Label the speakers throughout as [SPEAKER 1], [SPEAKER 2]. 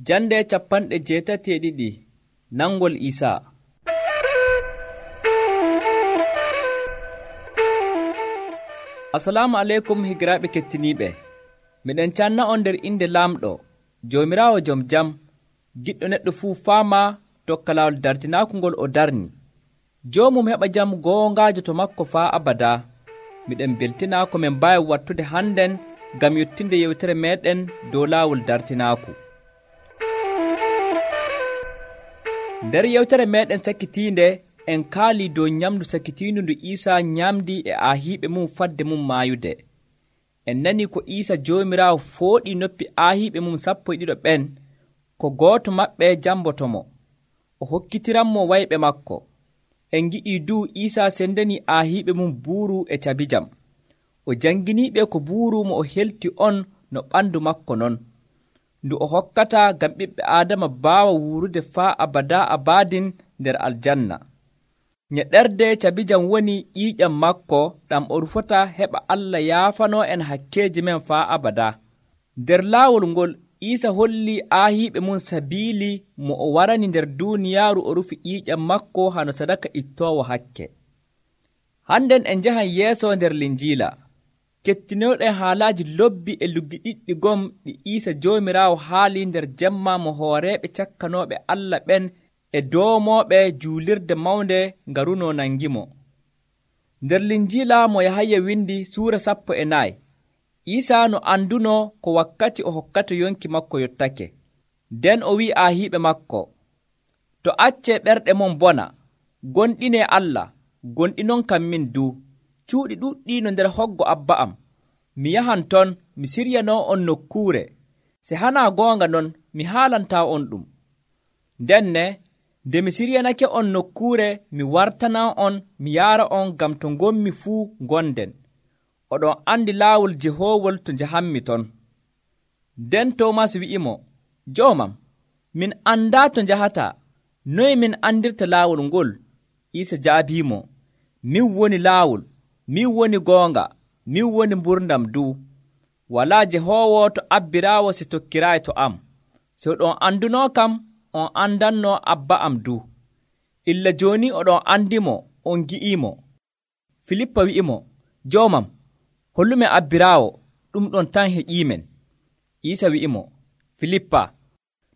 [SPEAKER 1] Jande 82 nangol Isaa. Assalamu aleykum higiraaɓe kettiniiɓe. Miɗen canna on nder inde Laamɗo, Joomiraawo jom jam, giɗɗo neɗɗo fuu faama tokka laawol dartinaaku ngol o darni. Joomum heɓa jam goongaajo to makko faa abadaa. Miɗen beltina ko min mbaawi wattude hannden ngam yottinde yewtere meeɗen dow laawol dartinaaku. Nder yewtere meeɗen sakkitiinde en kaalii dow nyamndu sakkitiindu ndu Iisaa nyamdi e aahiiɓe mum fadde mum maayude. En nanii ko Iisaa Joomiraawo fooɗii noppi aahiiɓe mum 12 ɓen, ko gooto maɓɓe jambotomo, o hokkitiranmo wayɓe makko. En ngi'ii duu Iisaa sendanii aahiiɓe mum buuru e cabijam. O janginiiɓe ko buuru mo o helti on no ɓandu makko non, ndu o hokkata ngam ɓiɓɓe Aadama baawa wuurude faa abadaa abadin nder aljanna. Ñeɗerde cabijam woni ƴiiƴam makko ɗam o rufata heɓa Allah yaafanoo en hakkeeji men faa abadaa. Nder laawol ngol Iisaa hollii aahiiɓe mum sabiili mo o warani nder duuniyaaru o rufi ƴiiƴam makko hano sadaka ittoowo hakke. Hannden en njahan yeeso nder Linjiila. Kettinooɗen haalaaji lobbi e luggi ɗiɗɗi gom ɗi Iisaa Joomiraawo haali nder jemma mo hooreeɓe cakkanooɓe Allah ɓen e doomooɓe juulirde mawnde ngarunoo nangimo. Nder Linjiila mo Yahaya windi suura 14, Iisaa no andunoo ko wakkati o hokkata yonki makko yottake. Nden o wi'i aahiiɓe makko, to accee ɓerɗe mon bona, gonɗinee Allah, gonɗinon kam min duu. Cuuɗi ɗuɗɗi no nder hoggo Abba am. Mi yahan ton, mi siryanoo on nokkuure. Se hanaa goonga non, mi haalantaa on ɗum. Ndenne, nde mi siryanake on nokkuure, mi wartanan on, mi yaara on ngam to ngonmi fuu ngonden. Oɗon andi laawol jehoowol to njahanmi ton. Nden Toomas wi'imo, Joomam, min andaa to njahataa. Noye min andirta laawol ngol? Iisaa jaabiimo, min woni laawol, min woni goonga, min woni mburdam duu. Walaa jehoowo to abbiraawo si tokkiraayi to am. So oɗon andunoo kam, on andannoo Abba am duu. Illa jooni oɗon andimo, on gi'iimo. Filippa wi'imo, Joomam, hollumen abbiraawo, ɗum ɗon tan heƴiimen. Iisaa wi'imo, Filippa,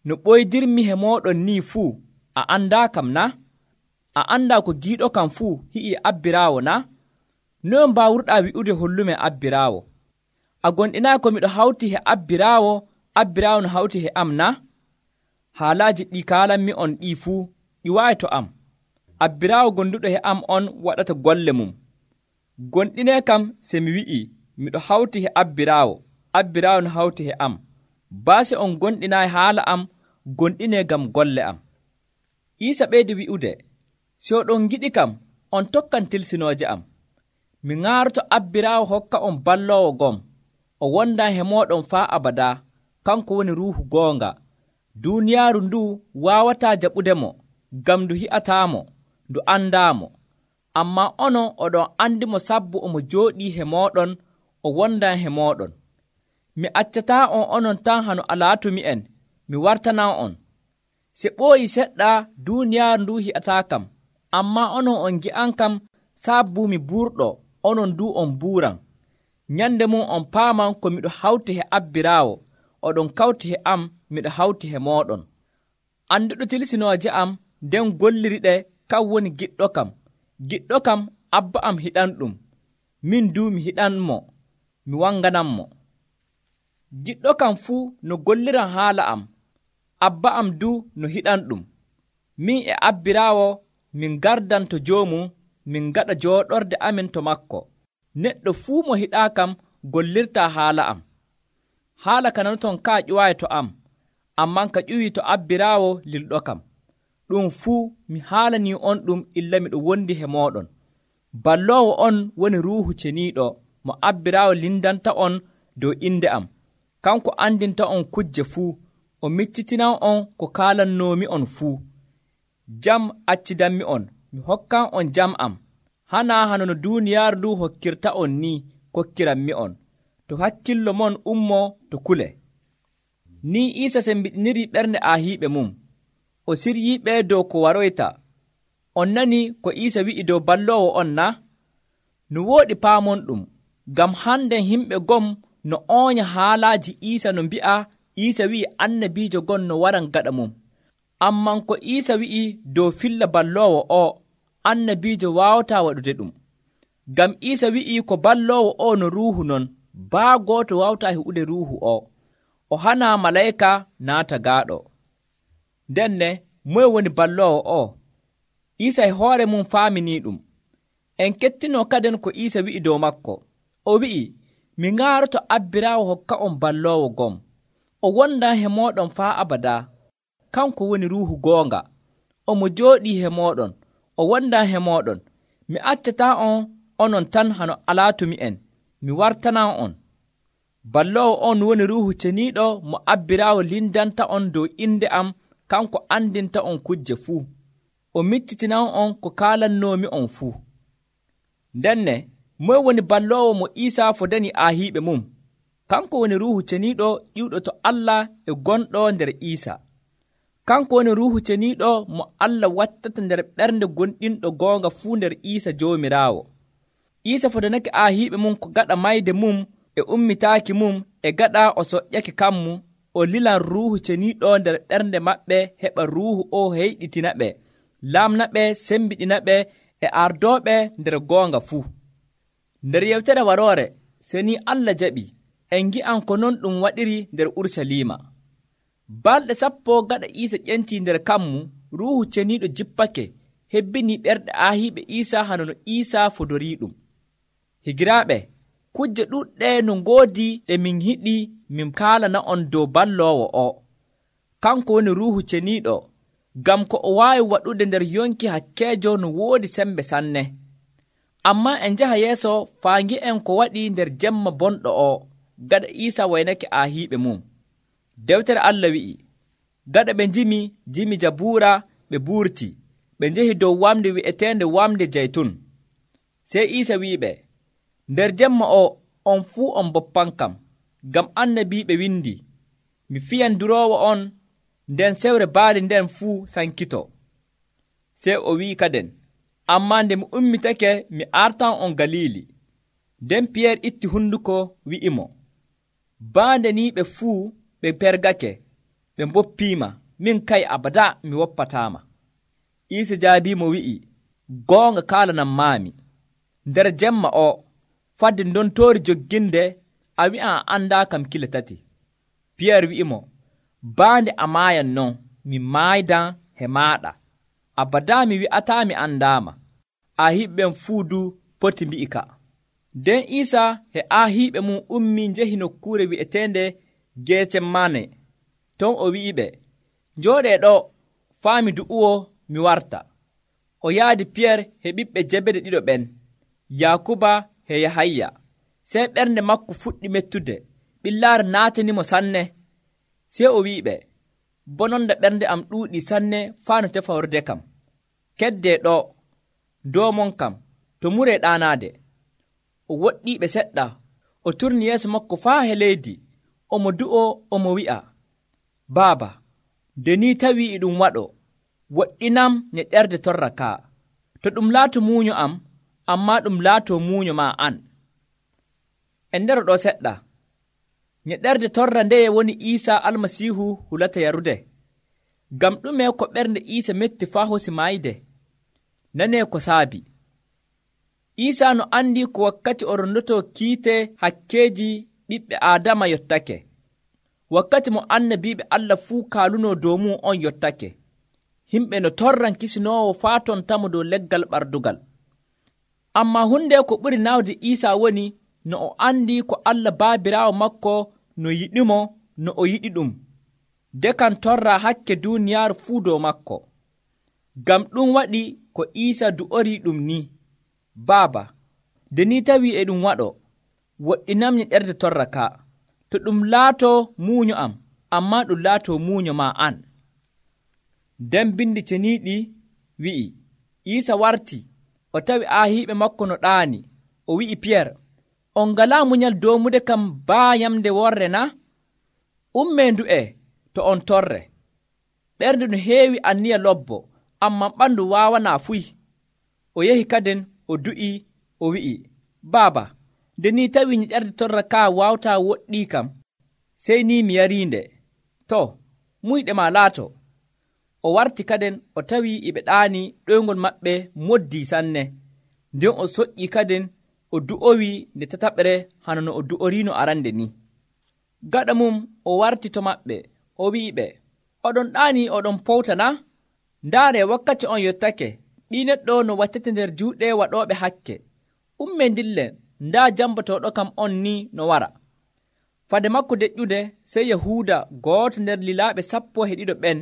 [SPEAKER 1] no ɓoydirmi he mooɗon nii fuu, a andaa kam na? A andaa ko giiɗo kam fuu hi'ii abbiraawo na? Noye mbaawruɗaa wi'ude hollumen abbiraawo? A gonɗinaayi ko miɗo hawti he abbiraawo, abbiraawo no hawti he am na? Haalaaji ɗi kaalanmi on ɗii fuu ƴiwaayi to am. Abbiraawo gonduɗo he am on waɗata golle mum. Gonɗinee kam se mi wi'ii miɗo hawti he abbiraawo, abbiraawo no hawti he am. Baase on gonɗinaayi haala am, gonɗinee ngam golle am. Iisaa ɓeydi wi'ude, si oɗon ngiɗi kam, on tokkan tilsinooje am. Mi ŋaaroto abbiraawo hokka on balloowo gom, o wondan he mooɗon faa abadaa, kanko woni ruuhu goonga. Duuniyaaru nduu waawataa jaɓudemo, ngam ndu hi'ataamo, ndu andaamo. Ammaa onon oɗon andimo sabbu omo jooɗii he mooɗon, o wondan he mooɗon. Mi accataa on onon tan hano alaatumi'en, mi wartanan on. Se ɓooyi seɗɗa duuniyaaru nduu hi'ataa kam, ammaa onon on ngi'an kam sabbu mi buurɗo, onon duu on buuran. Nyande mum on paaman ko miɗo hawti he abbiraawo, oɗon kawti he am, miɗo hawti he mooɗon. Anduɗo tilsinooje am, nden golliriɗe, kan woni giɗɗo kam. Giɗɗo kam Abba am hiɗanɗum, min duu mi hiɗanmo, mi wangananmo. Giɗɗo kam fuu no golliran haala am, Abba am duu no hiɗanɗum. Min e abbiraawo min gardan to joomum, min gaɗa jooɗorde amin to makko. Neɗɗo fuu mo hiɗaa kam gollirtaa haala am. Haala ka nanoton kaa ƴuwaayi to am, amman ka ƴuwii to abbiraawo lilɗo kam. Ɗum fuu mi haalanii on ɗum illa miɗo wondi he mooɗon. Balloowo on woni Ruuhu Ceniiɗo mo abbiraawo lindanta on dow inde am. Kanko andinta on kujje fuu, o miccitinan on ko kaalannoomi on fuu. Jam accidanmi on, mi hokkan on jam am. Hanaa hano no duuniyaaru ndu hokkirta on ni kokkiranmi on. To hakkillo mon ummoo to kule. Ni Iisa sembiɗiniri ɓernde aahiiɓe mum, o siryiiɓe dow ko waroyta. On nani ko Iisa wi'i dow balloowo on na? No wooɗi paamonɗum, ngam hande himɓe gom no oonya haalaaji Iisa no mbi'a Iisa wi'i annabiijo gon no waran gaɗa mum. Amman ko Iisa wi'i dow filla balloowo o, annabiijo waawataa waɗude ɗum. Ngam Iisa wi'i ko balloowo o no ruuhu non, baa gooto waawataa heɓude ruuhu o. O hanaa malayka naata gaaɗo. Ndenne, moye woni balloowo o? Iisa e hoore mum faaminii ɗum. En kettinoo kaden ko Iisa wi'i dow makko. O wi'i, mi ŋaaroto Abbiraawo hokka on balloowo gom. O wondaa he mooɗon faa abadaa. Kanko woni ruuhu goonga. Omo jooɗii he mooɗon. O wondaa he mooɗon. Mi accataa on onon tan hano alaatumi'en. Mi wartanan on. Balloowo on woni Ruuhu Ceniiɗo mo Abbiraawo lindanta on dow inde am, kanko andinta on kujje fuu. O miccitinan on ko kaalannoomi on fuu. Ndenne, moye woni balloowo mo Iisa fodani aahiiɓe mum? Kanko woni Ruuhu Ceniiɗo ƴiwɗo to Allah e gonɗo nder Iisa. Kanko woni Ruuhu Ceniiɗo mo Allah wattata nder ɓernde gonɗinɗo goonga fuu nder Iisa Joomiraawo. Iisa fodanake aahiiɓe mum ko gaɗa mayde mum e ummitaaki mum e gaɗa o soƴƴake kammu, o lilan Ruuhu Ceniiɗo nder ɓernde maɓɓe heɓa Ruuhu o heyɗitina ɓe, laamna ɓe, sembiɗina ɓe e ardooɓe nder goonga fuu. Nder yewtere waroore, seni Allah jaɓi, en ngi'an ko non ɗum waɗiri nder Ursaliima. Balɗe 10 gaɗa Iisa ƴentii nder kammu, Ruuhu Ceniiɗo jippake, hebbinii ɓerɗe aahiiɓe Iisa hano no Iisa fodorii ɗum. Higiraaɓe, kujje ɗuɗɗe no ngoodi ɗe min yiɗi min kaalana on dow balloowo o. Kanko woni Ruuhu Ceniiɗo, ngam ko o waawi waɗude nder yonki hakkeejo no woodi sembe sanne. Ammaa en njaha yeeso faa ngi'en ko waɗi nder jemma bonɗo o, gaɗa Iisa waynake aahiiɓe mum. Dewtere Allah wi'i, gaɗa ɓe jimi Jabuura ɓe buurti, ɓe njehi dow wamde wi'eteende wamde Jaytun. Sey Iisa wi'iɓe, nder jemma o, on fuu on boppankam, ngam annabiiɓe windi, mi fiyan duroowo on, nden sewre baali nden fuu sankito. Sey o wi'i kaden, ammaa nde mi ummitake mi artan on Galiili. Nden Piyeer itti hunduko wi'imo, baande ni ɓe fuu ɓe pergake, ɓe mboppiima, min kay abadaa mi woppataama. Iisa jaabiimo wi'i, goonga kaalanan maami, nder jemma o, fadde ndontoori jogginde, a wi'an a anndaa kam kile 3. Piyeer wi'imo, baande a maayan non, mi maaydan he maaɗa. Abadaa mi wi'ataa mi anndaama. Aahiiɓe fuu du poti mbi'ika. Nden Iisa he aahiiɓe mum ummii njehi nokkuure wi'eteende Geesemane. Ton o wi'iɓe, njooɗee ɗo faa mi du'uwo mi warta. O yaadi Piyeer he ɓiɓɓe Jebede ɗiɗo ɓen, Yaakuba he Yahaya. Sey ɓernde makko fuɗɗi mettude, ɓillaare naatanimo sanne. Sey o wi'iɓe, bononda ɓernde am ɗuuɗii sanne faa no tefa horde kam. Keddee ɗo, doomon kam, to muree ɗaanaade. O woɗɗiiɓe seɗɗa, o turni yeeso makko faa he leydi, omo du'o omo wi'a, Baaba, nde ni tawii e ɗum waɗo, woɗɗinam ñeɗɗerde torra kaa. To ɗum laato muuño am, ammaa ɗum laatoo muuño maa an. En ndero ɗo seɗɗa. Ñeɗɗerde torra ndeye woni Iisa Almasiihu hulata yarude? Ngam ɗume ko ɓernde Iisa metti faa hosi maayde? Nanee ko saabi. Iisa no andi ko wakkati o rondotoo kiite hakkeeji ɓiɓɓe Aadama yottake. Wakkati mo annabiiɓe Allah fuu kaalunoo dow mum on yottake. Himɓe no torran kisinoowo faa tontamo dow leggal ɓardugal. Ammaa hunde ko ɓuri naawde Iisa woni no o andi ko Allah Baabiraawo makko no yiɗimo no o yiɗi ɗum. Dekan torra hakke duuniyaaru fuu dow makko. Ngam ɗum waɗi ko Iisa du'orii ɗum ni, Baaba, nde ni tawii e ɗum waɗo, woɗɗinam ñeɗɗerde torra ka. To ɗum laatoo muuño am, ammaa ɗum laatoo muuño maa an. Nden bindi ceniiɗi wi'i, Iisa warti, o tawi aahiiɓe makko no ɗaani. O wi'i Piyeer, on ngalaa munyal doomude kam baa yamde worre na? Ummee ndu'e to on torre. Ɓernde no heewi anniya lobbo, ammaa ɓandu waawanaa fuy. O yehi kadin o du'ii, o wi'i, Baaba, nde ni tawii nyiɗerde torra kaa waawtaa woɗɗii kam, sey ni mi yariinde. To, muyɗe maa laato. O warti kadin o tawii e ɓe ɗaanii ɗoyngol maɓɓe moddii sanne. Nden o soƴƴii kadin o du'owii nde tataɓre hano no o du'oriino arande ni. Gaɗa mum o warti to maɓɓe, o wi'iɓe, oɗon ɗaanii oɗon powtana? Ndaare wakkati on yottake, ɓii neɗɗo no wattete nder juuɗe waɗooɓe hakke. Ummee ndillen, ndaa jambotooɗo kam on ni no wara. Fade makko deƴƴude, sey Yahuuda, gooto nder lilaaɓe 12 ɓen,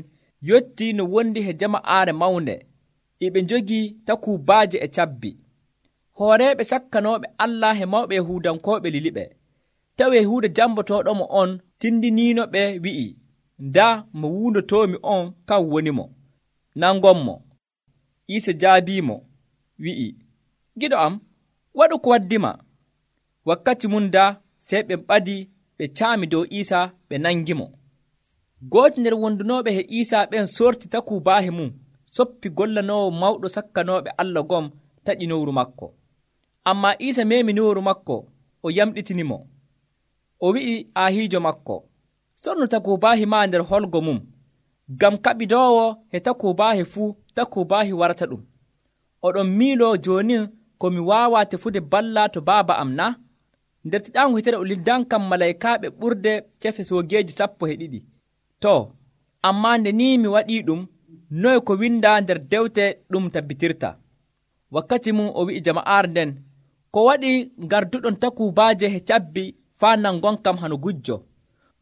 [SPEAKER 1] yottii no wondi he jama'aare mawnde, e ɓe njogii takuubaaje e cabbi. Hooreeɓe sakkanooɓe Allah he mawɓe Yahuudankooɓe liliɓe. Tawi Yahuuda jambotooɗomo on tindiniinoɓe wi'i, ndaa mo wuundotoomi on kan wonimo. Nangonmo. Iisa jaabiimo, wi'i, giɗo am, waɗu ko waddima. Wakkati mum daa, sey ɓe ɓadii ɓe caami dow Iisa ɓe nangimo. Gooto nder wondunooɓe he Iisa ɓen sorti takuubaahe mum, soppi gollanoowo mawɗo sakkanooɓe Allah gom taƴi nowru makko. Ammaa Iisa meemi nowru makko, o yamɗitinimo. O wi'i aahiijo makko, sornu takuubaahi maa nder holgo mum, ngam kaɓidoowo he takuubaahi fuu takuubaahi warata ɗum. Oɗon miiloo jooni ko mi waawaa tefude balla to Baaba am na? Nder tiɗaango hitere o liddankam malaykaaɓe ɓurde cefe soogeeji 12. To, ammaa nde ni mi waɗii ɗum, noye ko windaa nder dewte ɗum tabbitirta. Wakkati mum o wi'i jama'aare nden, ko waɗi garduɗon takuubaaje he cabbi faa nangon kam hano gujjo.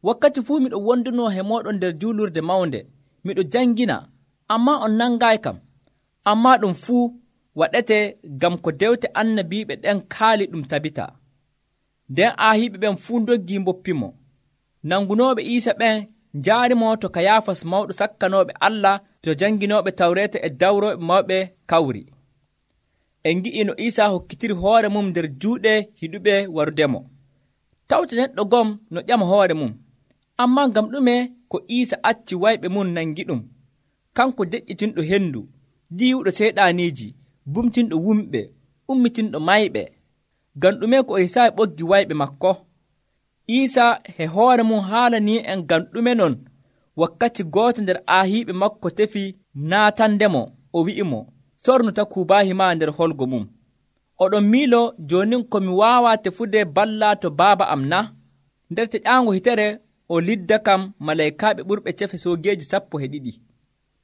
[SPEAKER 1] Wakkati fuu miɗo wondunoo he mooɗon nder juulurde mawnde, miɗo jangina, ammaa on nangaayi kam. Ammaa ɗum fuu waɗete ngam ko dewte annabiiɓe ɗen kaali ɗum tabita. Nden aahiiɓe ɓen fuu ndoggii mboppimo. Nangunooɓe Iisa ɓen njaarimo to Kayaafas mawɗo sakkanooɓe Allah to janginooɓe Tawreeta e dawrooɓe mawɓe kawri. En ngi'ii no Iisa hokkitiri hoore mum nder juuɗe hiɗuɓe warudemo. Tawta neɗɗo gom no ƴama hoore mum. Ammaa ngam ɗume ko Iisa acci wayɓe mum nangi ɗum, kanko deƴƴitinɗo hendu, diiwuɗo seyɗaaniiji, bumtinɗo wumɓe, ummitinɗo mayɓe. Ngam ɗume ko o hisaayi ɓoggi wayɓe makko? Iisa he hoore mum haalanii en ngam ɗume non wakkati gooto nder aahiiɓe makko tefi naatandemo, o wi'imo, sornu takuubaahi maa nder holgo mum. Oɗon miilo joonin ko mi waawaa tefude balla to Baaba am na? Nder teƴaango hitere o lidda kam malaykaaɓe ɓurɓe cefe soogeeji 12.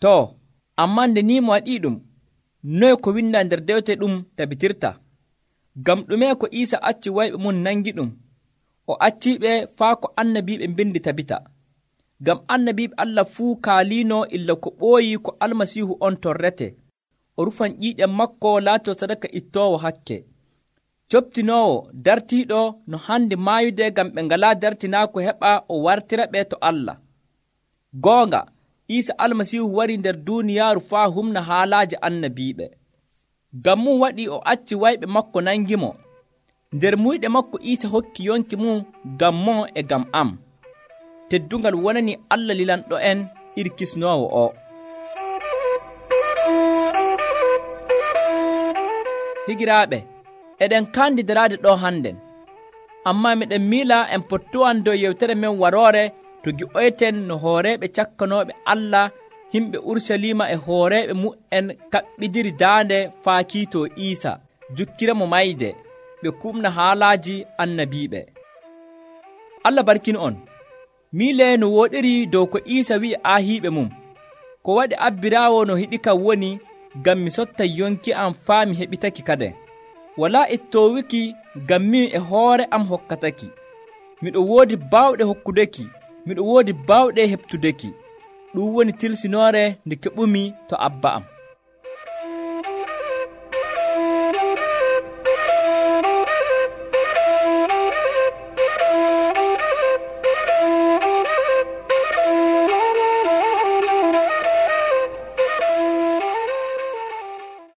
[SPEAKER 1] To, ammaa nde ni mo waɗii ɗum, noye ko windaa nder dewte ɗum tabitirta? Ngam ɗume ko Iisa acci wayɓe mum nangi ɗum, o acciiɓe faa ko annabiiɓe mbindi tabita. Ngam annabiiɓe Allah fuu kaaliino illa ko ɓooyi ko Almasiihu on torrete, o rufan ƴiiƴam makko laatoo sadaka ittoowo hakke, coptinoowo dartiiɗo no hande maayude ngam ɓe ngalaa dartinaako heɓa o wartira ɓe to Allah. Goonga, Iisa Almasiihu warii nder duuniyaaru faa humna haalaaji annabiiɓe. Ngam mum waɗii o acci wayɓe makko nangimo. Nder muyɗe makko Iisa hokki yonki mum ngam mo e ngam am. Teddungal wonani Allah lilanɗo en iri kisnoowo o. Higiraaɓe, eɗen kandidiraade ɗo hannden, ammaa miɗen miila en pottuwan dow yewtere men waroore to gi'oyten no hooreeɓe cakkanooɓe Allah himɓe Urusalima e hooreeɓe mu'en kaɓɓidiri daande faa kiitoo Iisa, jukkiramo mayde, ɓe kumna haalaaji annabiiɓe. Allah barkinu on. Miilee no wooɗiri dow ko Iisa wi'i aahiiɓe mum, ko waɗi abbiraawo no hiɗi kam woni ngam mi sotta yonki am faa mi heɓitaki kaden. Walaa ittoowiki ngam min e hoore am hokkataki. Miɗo woodi baawɗe hokkudeki, miɗo woodi baawɗe heɓtudeki. Ɗum woni tilsinoore nde keɓumi to Abba am.